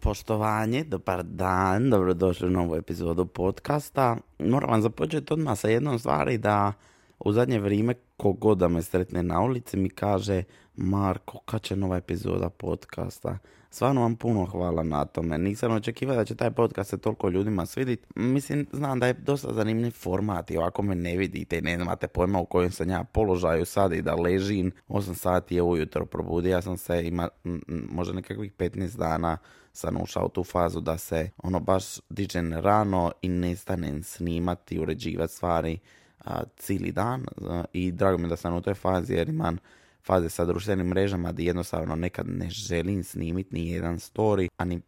Poštovanje, dobar dan, dobrodošli u novu epizodu podcasta. Moram vam započeti odmah sa jednom stvari da u zadnje vrijeme kogod da me sretne na ulici mi kaže Marko, kad će nova epizoda podcasta? Stvarno vam puno hvala na tome. Nisam očekivao da će taj podcast se toliko ljudima svidjeti. Mislim, znam da je dosta zanimljiv format i ovako me ne vidite i ne imate pojma u kojem sam ja položaju sad i da ležim. 8 sati je ujutro, probudio sam se, možda nekakvih 15 dana sam ušao u tu fazu da se baš dižem rano i nestanem snimati i uređivati stvari cijeli dan i drago mi da sam u toj fazi jer imam faze sa društvenim mrežama gdje jednostavno nekad ne želim snimiti ni jedan story, a ni,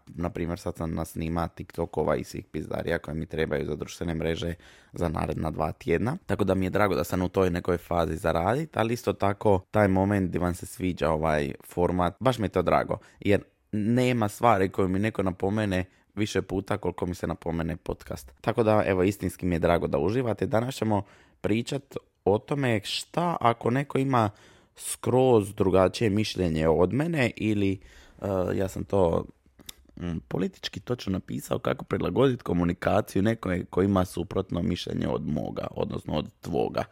na primjer sad sam nasnima TikTokova i svih pizdarija koje mi trebaju za društvene mreže za naredna 2 tjedna. Tako da mi je drago da sam u toj nekoj fazi zaraditi, ali isto tako taj moment gdje vam se sviđa ovaj format, baš mi je to drago, jer nema stvari koju mi neko napomene više puta koliko mi se napomene podcast. Tako da, evo, istinski mi je drago da uživate. Danas ćemo pričati o tome šta ako neko ima skroz drugačije mišljenje od mene ili ja sam to politički točno napisao kako prilagoditi komunikaciju nekome koji ima suprotno mišljenje od moga, odnosno od tvoga.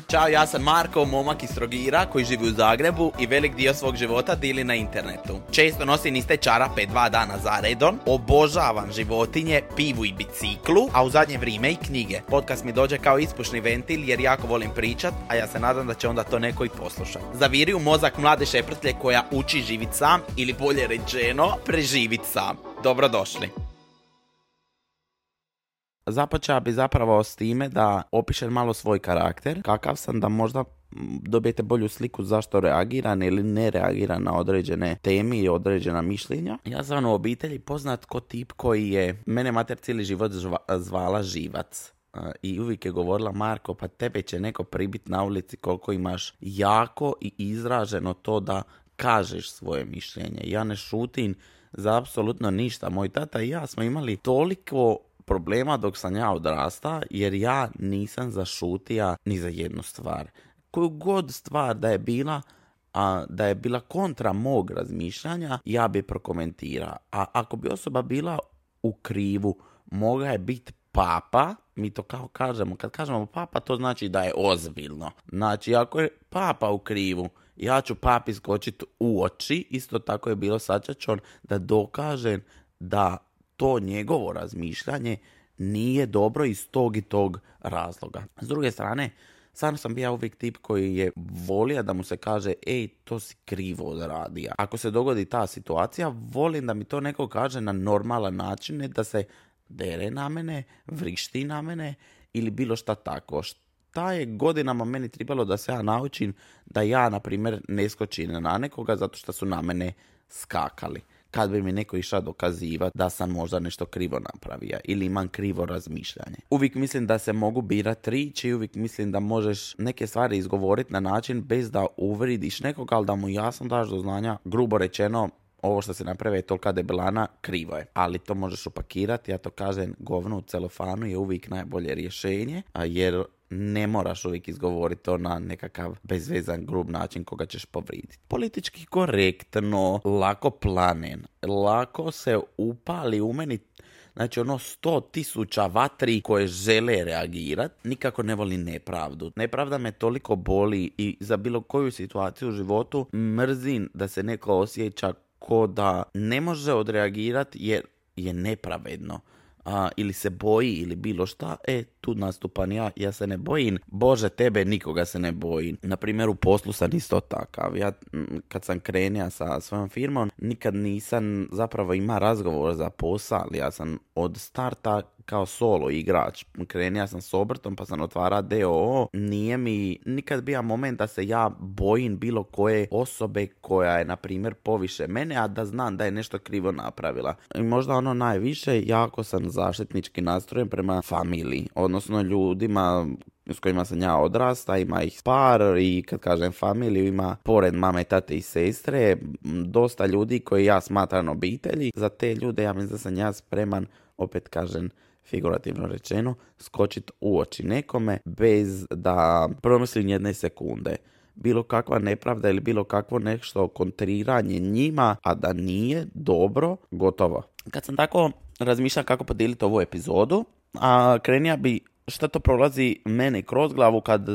Ćao, ja sam Marko, momak iz Trogira koji živi u Zagrebu i velik dio svog života dili na internetu. Često nosim iste čarape 2 dana za redom, obožavam životinje, pivu i biciklu, a u zadnje vrijeme i knjige. Podcast mi dođe kao ispušni ventil jer jako volim pričat, a ja se nadam da će onda to neko i poslušati. Zaviri u mozak mlade šeprtlje koja uči živit sam ili bolje rečeno preživit sam. Dobrodošli. Započeo bi zapravo s time da opišem malo svoj karakter, kakav sam, da možda dobijete bolju sliku zašto reagiram ili ne reagiram na određene teme i određena mišljenja. Ja sam u obitelji poznat ko tip koji je mene mater cijeli život zvala Živac. I uvijek je govorila, Marko, pa tebe će neko pribit na ulici koliko imaš jako i izraženo to da kažeš svoje mišljenje. Ja ne šutim za apsolutno ništa. Moj tata i ja smo imali toliko problema dok sam ja odrasta, jer ja nisam zašutija ni za jednu stvar. Koju god stvar da je bila kontra mog razmišljanja, ja bi prokomentirao. A ako bi osoba bila u krivu, mogla je biti papa, mi to kao kažemo, kad kažemo papa, to znači da je ozbiljno. Znači, ako je papa u krivu, ja ću papi skočiti u oči, isto tako je bilo sačačon da dokažem da to njegovo razmišljanje nije dobro iz tog i tog razloga. S druge strane, stvarno sam bio uvijek tip koji je volio da mu se kaže, ej, to si krivo odradio. Ako se dogodi ta situacija, volim da mi to neko kaže na normalan način, ne da se dere na mene, vrišti na mene ili bilo šta tako. Šta je godinama meni trebalo da se ja naučim da ja, na primjer, ne skočim na nekoga zato što su na mene skakali. Kad bi mi neko išao dokazivati da sam možda nešto krivo napravio ili imam krivo razmišljanje. Uvijek mislim da se mogu birati riječi i uvijek mislim da možeš neke stvari izgovoriti na način bez da uvridiš nekoga, ali da mu jasno daš do znanja, grubo rečeno, ovo što se napravi je tolika debelana, krivo je. Ali to možeš upakirati, ja to kažem, govno u celofanu je uvijek najbolje rješenje, jer ne moraš uvijek izgovoriti to na nekakav bezvezan, grub način koga ćeš povriditi. Politički korektno, lako planen, lako se upali u meni, znači 100.000 vatri koje žele reagirati. Nikako ne volim nepravdu. Nepravda me toliko boli i za bilo koju situaciju u životu mrzim da se neko osjeća ko da ne može odreagirati jer je nepravedno. Ili se boji ili bilo šta, tu nastupam ja se ne bojim, Bože tebe, nikoga se ne bojim. Na primjer, u poslu sam isto takav. Ja kad sam krenio sa svojom firmom, nikad nisam zapravo imao razgovor za posao, ali ja sam od starta kao solo igrač. Krenio sam s obrtom pa sam otvarao DOO. Nije mi nikad bio moment da se ja bojim bilo koje osobe koja je, na primjer, poviše mene, a da znam da je nešto krivo napravila. I možda najviše, jako sam zaštitnički nastrojen prema familiji, odnosno ljudima s kojima sam ja odrasta, ima ih par i kad kažem familiju ima pored mame, tate i sestre dosta ljudi koji ja smatram obitelji. Za te ljude ja mislim da sam ja spreman, opet kažem figurativno rečeno, skočiti u oči nekome bez da promislim jedne sekunde. bilo kakva nepravda ili bilo kakvo nešto kontriranje njima, a da nije dobro, gotovo. Kad sam tako razmišljao kako podijeliti ovu epizodu, a krenija bi šta to prolazi mene kroz glavu kad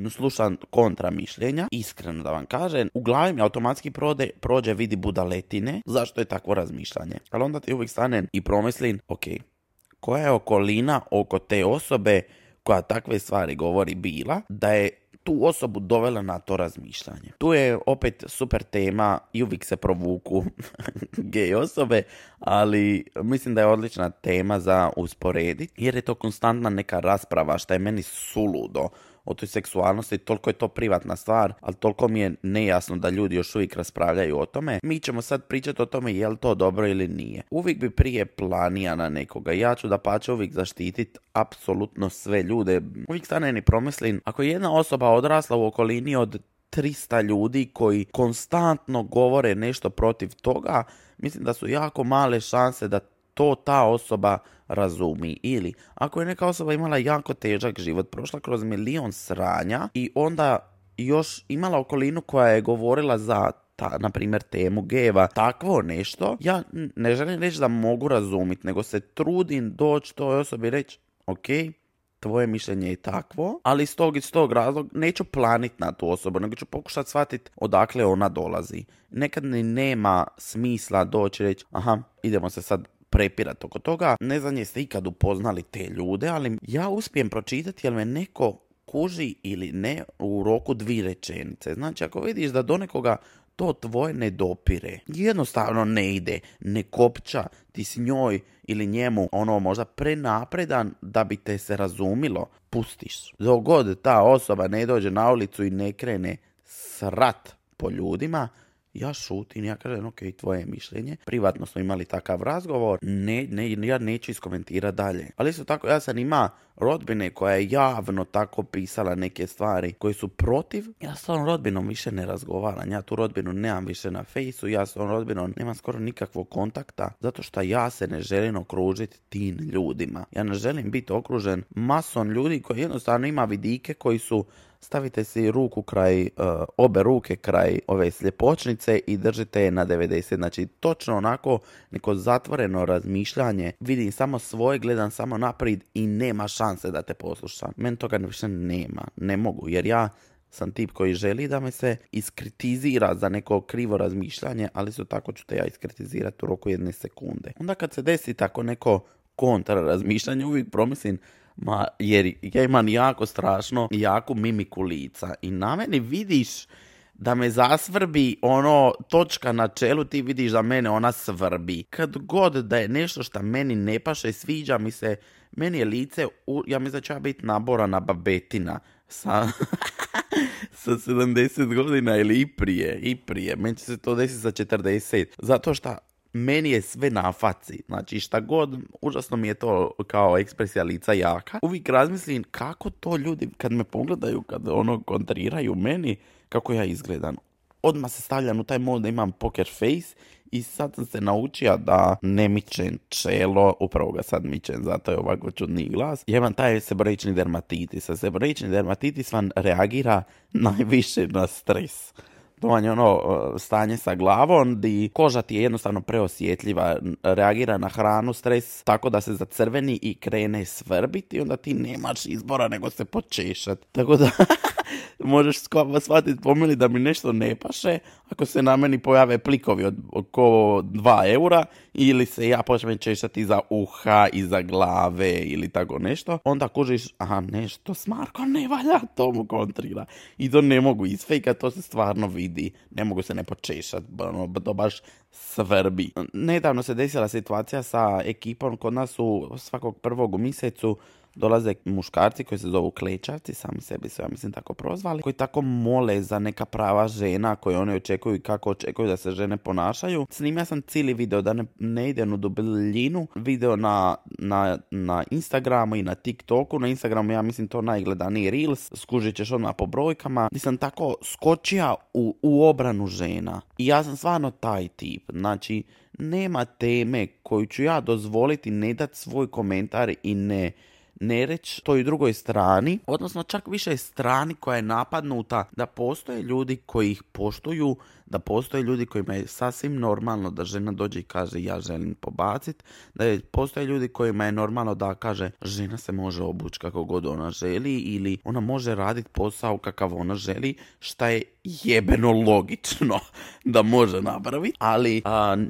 slušam kontra mišljenja, iskreno da vam kažem, u glavi mi automatski prođe vidi budaletine, zašto je takvo razmišljanje. Ali onda ti uvijek stanem i promislim, ok, koja je okolina oko te osobe koja takve stvari govori bila, da je tu osobu dovela na to razmišljanje. Tu je opet super tema i uvijek se provuku gej osobe, ali mislim da je odlična tema za usporediti, jer je to konstantna neka rasprava što je meni suludo o toj seksualnosti, toliko je to privatna stvar, ali toliko mi je nejasno da ljudi još uvijek raspravljaju o tome. Mi ćemo sad pričati o tome je li to dobro ili nije. Uvijek bi prije planija na nekoga. Ja ću dapače uvijek zaštititi apsolutno sve ljude. Uvijek stanem i promislim, ako je jedna osoba odrasla u okolini od 300 ljudi koji konstantno govore nešto protiv toga, mislim da su jako male šanse da to ta osoba razumi. Ili ako je neka osoba imala jako težak život, prošla kroz milion sranja i onda još imala okolinu koja je govorila za na primjer temu geva, takvo nešto, ja ne želim reći da mogu razumjeti, nego se trudim doći toj osobi i reći, ok, tvoje mišljenje je takvo, ali iz tog razloga neću planiti na tu osobu, nego ću pokušati shvatiti odakle ona dolazi. Nekad ni nema smisla doći i reći, aha, idemo se sad prepirati oko toga. Ne znam jeste ikad upoznali te ljude, ali ja uspijem pročitati jel me neko kuži ili ne u roku 2 rečenice. Znači, ako vidiš da do nekoga to tvoje ne dopire, jednostavno ne ide, ne kopča, ti si njoj ili njemu možda prenapredan da bi te se razumilo, pustiš. Dok god ta osoba ne dođe na ulicu i ne krene srat po ljudima, ja šutim, ja kažem, ok, tvoje mišljenje. Privatno smo imali takav razgovor, ja neću iskomentirati dalje. Ali isto tako, ja sam ima rodbine koja je javno tako pisala neke stvari koje su protiv. Ja s tom rodbinom više ne razgovaram, ja tu rodbinu nemam više na fejsu, ja s tom rodbinom nemam skoro nikakvog kontakta, zato što ja se ne želim okružiti tim ljudima. Ja ne želim biti okružen masom ljudi koji jednostavno ima vidike koji su, stavite si ruku kraj, obe ruke kraj ove sljepočnice i držite je na 90. Znači, točno onako neko zatvoreno razmišljanje. Vidim samo svoje, gledam samo naprijed i nema šanse da te poslušam. Meni toga više nema. Ne mogu, jer ja sam tip koji želi da me se iskritizira za neko krivo razmišljanje, ali su tako ću te ja iskritizirati u roku 1 sekunde. Onda kad se desi tako neko kontra razmišljanje, uvijek promislim, jer ja imam jako strašno jaku mimiku lica i na meni vidiš da me zasvrbi točka na čelu, ti vidiš da mene ona svrbi. Kad god da je nešto što meni ne paše, sviđa mi se, meni je lice, ja mislim da će ja biti naborana babetina sa 70 godina ili i prije. Meni će se to desiti za 40. Zato što meni je sve na faci. Znači šta god, užasno mi je to kao ekspresija lica jaka. Uvijek razmislim kako to ljudi kad me pogledaju, kad kontriraju meni, kako ja izgledam. Odmah se stavljam u taj mod da imam poker face i sad sam se naučio da ne mičem čelo, upravo ga sad mičem, zato je ovako čudni glas. Ja imam taj seboroični dermatitis. A seboroični dermatitis vam reagira najviše na stres. To vam je stanje sa glavom gdje koža ti je jednostavno preosjetljiva, reagira na hranu, stres, tako da se zacrveni i krene svrbiti i onda ti nemaš izbora nego se počešati. Tako da možeš shvatiti po meni da mi nešto ne paše ako se na meni pojave plikovi od oko 2 eura ili se ja počnem češati iza uha, iza glave ili tako nešto. Onda kužiš, aha, nešto s Markom ne valja, to mu kontrira. I to ne mogu isfejkati, to se stvarno vidi. Ne mogu se ne počešati, to baš svrbi. Nedavno se desila situacija sa ekipom, kod nas svakog 1. u mjesecu dolaze muškarci koji se zovu klečavci, sami sebi su, ja mislim, tako prozvali, koji tako mole za neka prava žena koje one očekuju i kako očekuju da se žene ponašaju. Snimio sam cijeli video, da ne idem u dubljinu, video na Instagramu i na TikToku. Na Instagramu ja mislim to najgledaniji Reels, skužit ćeš odmah po brojkama, gdje sam tako skočio u obranu žena. I ja sam stvarno taj tip, znači nema teme koju ću ja dozvoliti ne dati svoj komentar i ne reći toj drugoj strani, odnosno čak više strani koja je napadnuta, da postoje ljudi koji ih poštuju, da postoje ljudi kojima je sasvim normalno da žena dođe i kaže ja želim pobaciti, postoje ljudi kojima je normalno da kaže žena se može obući kako god ona želi ili ona može raditi posao kakav ona želi, šta je jebeno logično da može napraviti, ali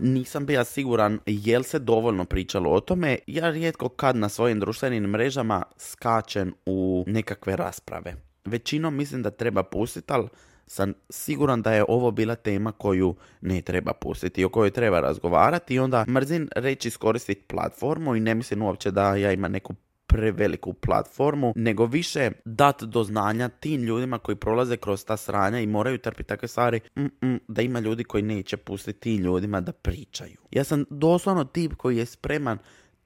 nisam bio siguran jel se dovoljno pričalo o tome. Ja rijetko kad na svojim društvenim mrežama skačem u nekakve rasprave. Većinom mislim da treba pustiti, ali sam siguran da je ovo bila tema koju ne treba pustiti, o kojoj treba razgovarati i onda mrzim reći iskoristiti platformu i ne mislim uopće da ja imam neku preveliku platformu, nego više dat do znanja tim ljudima koji prolaze kroz ta sranja i moraju trpiti takve stvari, da ima ljudi koji neće pustiti tim ljudima da pričaju. Ja sam doslovno tip koji je spreman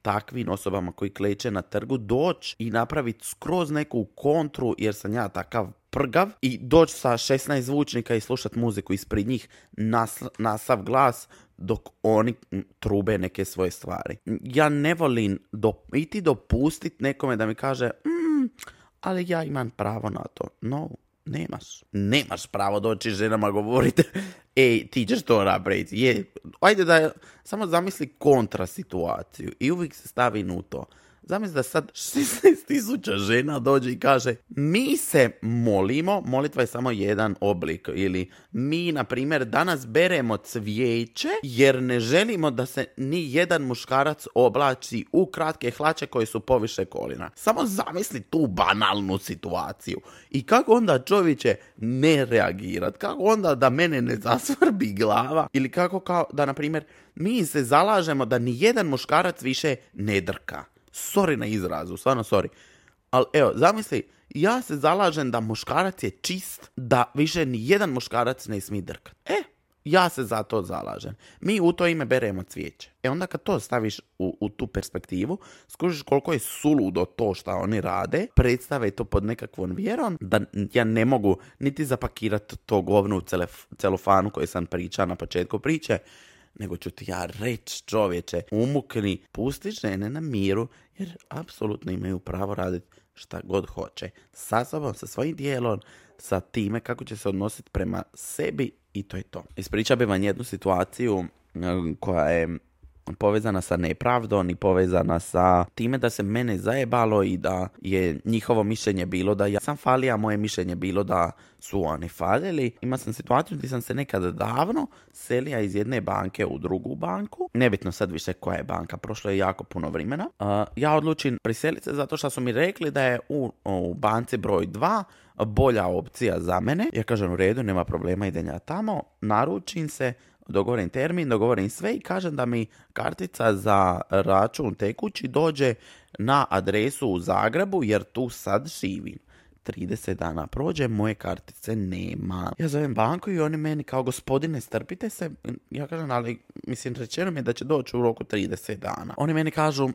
takvim osobama koji kleče na trgu doći i napraviti skroz neku kontru jer sam ja takav prgav i doći sa 16 zvučnika i slušati muziku ispred njih na sav glas dok oni trube neke svoje stvari. Ja ne volim iti dopustiti nekome da mi kaže ali ja imam pravo na to. No, nemaš pravo doći ženama govoriti ej, ti ćeš to napraviti. Ajde da samo zamisli kontra situaciju i uvijek se stavi u to. Zamisli da sad 16.000 žena dođe i kaže mi se molimo, molitva je samo jedan oblik, ili mi, na primjer, danas beremo cvijeće jer ne želimo da se ni jedan muškarac oblači u kratke hlače koje su poviše kolina. Samo zamisli tu banalnu situaciju. I kako onda čovječe ne reagirat? Kako onda da mene ne zasvrbi glava? Ili kako kao da, na primjer, mi se zalažemo da ni jedan muškarac više ne drka. Sorry na izrazu, stvarno sorry. Ali evo, zamisli, ja se zalažem da muškarac je čist, da više ni jedan muškarac ne smije drkat. Ja se za to zalažem. Mi u to ime beremo cvijeće. Onda kad to staviš u tu perspektivu, skužiš koliko je suludo to što oni rade, predstave to pod nekakvom vjerom, da ja ne mogu niti zapakirati to govno u celofanu koje sam pričao na početku priče, nego ću ti ja reći, čovječe, umukni, pusti žene na miru, jer apsolutno imaju pravo raditi šta god hoće. Sa sobom, sa svojim dijelom, sa time kako će se odnositi prema sebi i to je to. Ispričao bih vam jednu situaciju koja je povezana sa nepravdom i povezana sa time da se mene zajebalo i da je njihovo mišljenje bilo da ja sam falio, a moje mišljenje bilo da su oni falili. Imao sam situaciju gdje sam se nekada davno selio iz jedne banke u drugu banku. Nebitno sad više koja je banka, prošlo je jako puno vremena. Ja odlučim priseliti se zato što su mi rekli da je u banci broj 2 bolja opcija za mene. Ja kažem u redu, nema problema, idem ja tamo, naručim se, dogovorim termin, dogovorim sve i kažem da mi kartica za račun tekući dođe na adresu u Zagrebu jer tu sad živim. 30 dana prođe, moje kartice nema. Ja zovem banku i oni meni kao gospodine strpite se. Ja kažem ali mislim rečeno mi je da će doći u roku 30 dana. Oni meni kažu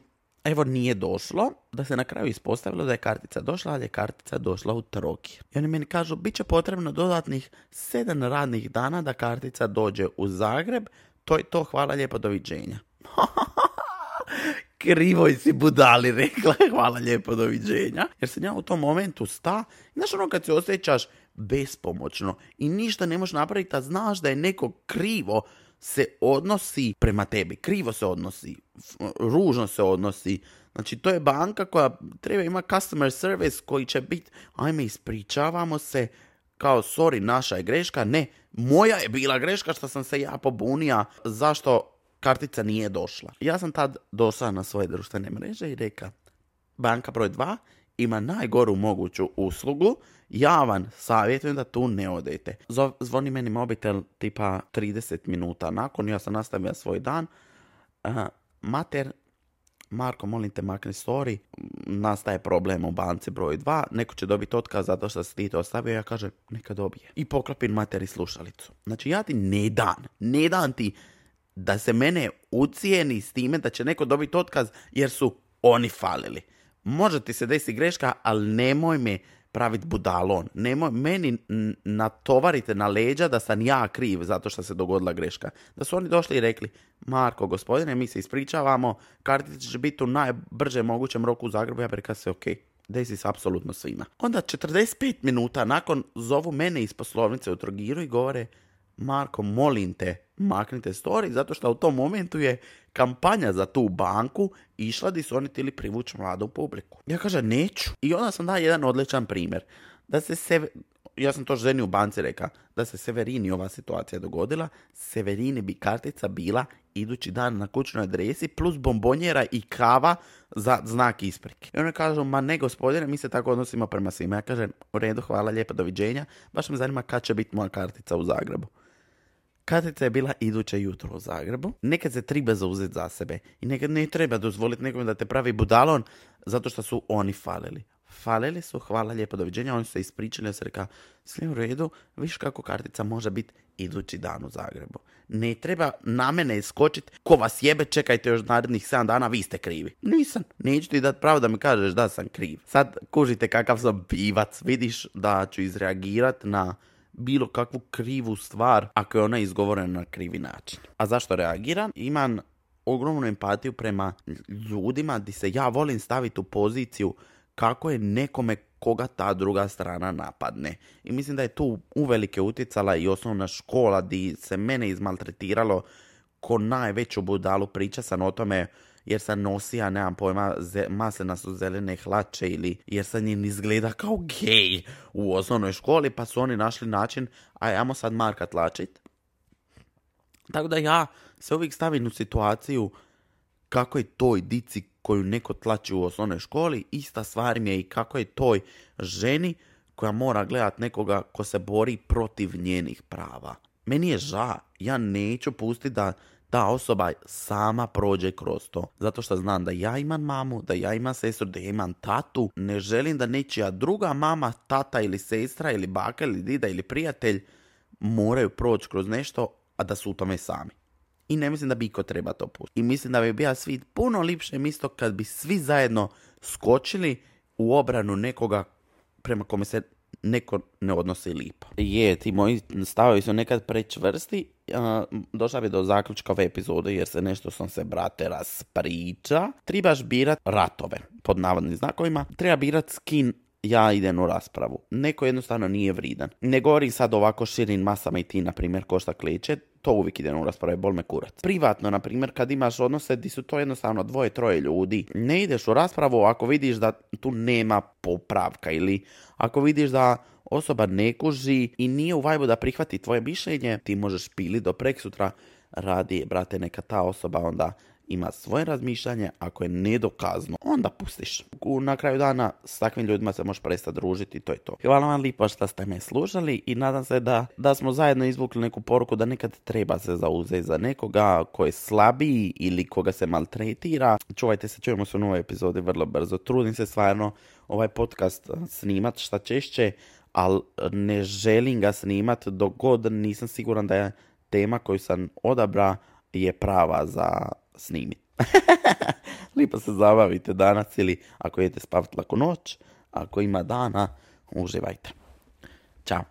evo nije došlo, da se na kraju ispostavilo da je kartica došla, ali je kartica došla u Trogir. I oni meni kažu, bit će potrebno dodatnih 7 radnih dana da kartica dođe u Zagreb, to je to, hvala lijepo, doviđenja. Krivoj si budali rekla, hvala lijepo, doviđenja. Jer sam ja u tom momentu znaš ono kad se osjećaš bespomoćno i ništa ne možeš napraviti, a znaš da je neko krivo se odnosi prema tebi, krivo se odnosi, ružno se odnosi. Znači, to je banka koja treba ima customer service koji će biti, ajme, ispričavamo se, kao, sorry, naša je greška. Ne, moja je bila greška što sam se ja pobunija zašto kartica nije došla. Ja sam tad došla na svoje društvene mreže i rekao, banka broj 2 ima najgoru moguću uslugu, ja vam savjetujem da tu ne odete. Zvoni meni mobitel tipa 30 minuta nakon, ja sam nastavio svoj dan. Mater, Marko, molim te makni story, nastaje problem u banci broj 2, neko će dobiti otkaz zato što si ti to ostavio, ja kažem neka dobije. I poklopim materi slušalicu. Znači ja ti ne dan ti da se mene ucijeni s time da će neko dobiti otkaz jer su oni falili. Može ti se desi greška, ali nemoj me praviti budalon. Nemoj meni natovarite na leđa da sam ja kriv zato što se dogodila greška. Da su oni došli i rekli, Marko, gospodine, mi se ispričavamo, kartica će biti u najbrže mogućem roku u Zagrebu, ja bih rekao se okej. Desi se apsolutno svima. Onda 45 minuta nakon zovu mene iz poslovnice u Trogiru i govore, Marko, molim te, maknite story, zato što u tom momentu je kampanja za tu banku išla di su oni htjeli privući mladu publiku. Ja kažem, neću. I onda sam dao jedan odličan primjer. Ja sam to ženi u banci rekao, da se Severini ova situacija dogodila, Severini bi kartica bila idući dan na kućnoj adresi plus bombonjera i kava za znak isprike. I oni kažu, ma ne gospodine, mi se tako odnosimo prema svima. Ja kažem, u redu, hvala, lijepo, doviđenja. Baš me zanima kad će biti moja kartica u Zagrebu. Kartica je bila iduće jutro u Zagrebu. Nekad se treba zauzeti za sebe. I nekad ne treba dozvoliti nekome da te pravi budalon zato što su oni falili. Falili su, hvala, lijepo, doviđenja. Oni su se ispričali, ja sam rekao, sve u redu, viš kako kartica može biti idući dan u Zagrebu. Ne treba na mene iskočiti, ko vas jebe, čekajte još narednih 7 dana, vi ste krivi. Nisam, neću ti dati pravo da mi kažeš da sam kriv. Sad kužite kakav sam pivac, vidiš da ću izreagirati na bilo kakvu krivu stvar ako je ona izgovorena na krivi način. A zašto reagiram? Imam ogromnu empatiju prema ljudima gdje se ja volim staviti u poziciju kako je nekome koga ta druga strana napadne. I mislim da je tu uvelike utjecala i osnovna škola gdje se mene izmaltretiralo ko najveću budalu. Priča sam o tome jer sam nosija, nemam pojma, maslina su zelene hlače ili jer sam njim izgleda kao gej u osnovnoj školi, pa su oni našli način, ajmo sad Marka tlačit. Tako da ja se uvijek stavim u situaciju kako je toj dici koju neko tlači u osnovnoj školi, ista stvar mi je i kako je toj ženi koja mora gledat nekoga ko se bori protiv njenih prava. Meni je ža, ja neću pustiti da ta osoba sama prođe kroz to. Zato što znam da ja imam mamu, da ja imam sestru, da ja imam tatu. Ne želim da nečija druga mama, tata ili sestra ili baka ili dida ili prijatelj moraju proći kroz nešto, a da su u tome sami. I ne mislim da bi iko treba to pustiti. I mislim da bi bio svijet puno lipše mjesto kad bi svi zajedno skočili u obranu nekoga prema kome se neko ne odnosi lipo. Ti moji stavovi su nekad prečvrsti. Došla bi do zaključka ove epizode jer se nešto sam se, brate, raspriča. Trebaš birat ratove, pod navodnim znakovima. Treba birat s kim ja idem u raspravu. Neko jednostavno nije vridan. Ne govorim sad ovako širim masama i ti, na primjer, ko šta kleče. To uvijek idem u raspravu, bol me kurac. Privatno, na primjer, kad imaš odnose gdje su to jednostavno 2-3 ljudi, ne ideš u raspravu ako vidiš da tu nema popravka ili ako vidiš da osoba ne kuži i nije u vajbu da prihvati tvoje mišljenje, ti možeš pili do preksutra, radi, brate, neka ta osoba onda ima svoje razmišljanje, ako je nedokazno, onda pustiš. Na kraju dana s takvim ljudima se možeš prestati družiti, to je to. Hvala vam lijepo što ste me slušali i nadam se da smo zajedno izvukli neku poruku da nekad treba se zauzeti za nekoga ko je slabiji ili koga se maltretira. Čuvajte se, čujemo se u novoj epizodi vrlo brzo. Trudim se stvarno ovaj podcast snimat šta češće, ali ne želim ga snimat dok god nisam siguran da je tema koju sam odabra je prava za snimiti. Lipo se zabavite danas ili ako idete spavati laku noć, ako ima dana, uživajte. Ćao.